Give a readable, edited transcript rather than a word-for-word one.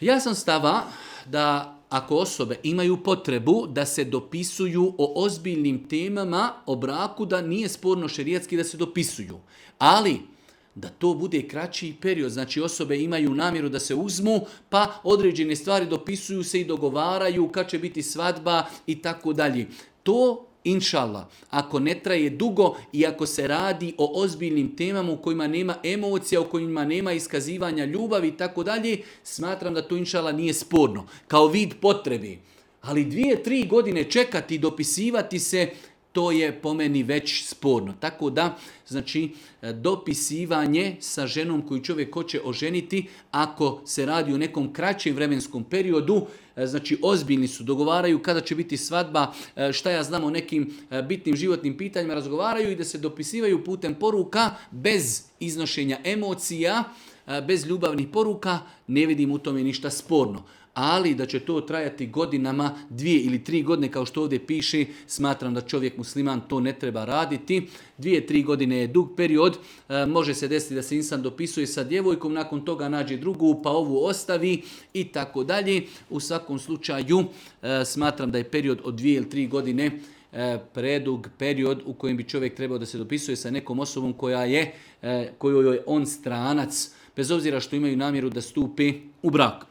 Ja sam stava da ako osobe imaju potrebu da se dopisuju o ozbiljnim temama o braku, da nije sporno šerijatski da se dopisuju. Ali da to bude kraći period, znači osobe imaju namjeru da se uzmu, pa određene stvari dopisuju se i dogovaraju kad će biti svadba i tako dalje. To inšallah, ako ne traje dugo i ako se radi o ozbiljnim temama u kojima nema emocija, u kojima nema iskazivanja ljubavi i tako dalje, smatram da to inšallah nije sporno, kao vid potrebe. Ali 2-3 godine čekati i dopisivati se, to je po meni već sporno. Tako da, znači, dopisivanje sa ženom koju čovjek hoće oženiti, ako se radi o nekom kraćem vremenskom periodu, znači ozbiljni su, dogovaraju kada će biti svadba, šta ja znam o nekim bitnim životnim pitanjima, razgovaraju i da se dopisivaju putem poruka bez iznošenja emocija, bez ljubavnih poruka, ne vidim u tome ništa sporno. Ali da će to trajati godinama, 2 ili 3 godine kao što ovdje piše, smatram da čovjek musliman to ne treba raditi. 2-3 godine je dug period, može se desiti da se insan dopisuje sa djevojkom, nakon toga nađe drugu, pa ovu ostavi i tako dalje. U svakom slučaju smatram da je period od 2 ili 3 godine predug period u kojem bi čovjek trebao da se dopisuje sa nekom osobom kojoj je on stranac, bez obzira što imaju namjeru da stupe u brak.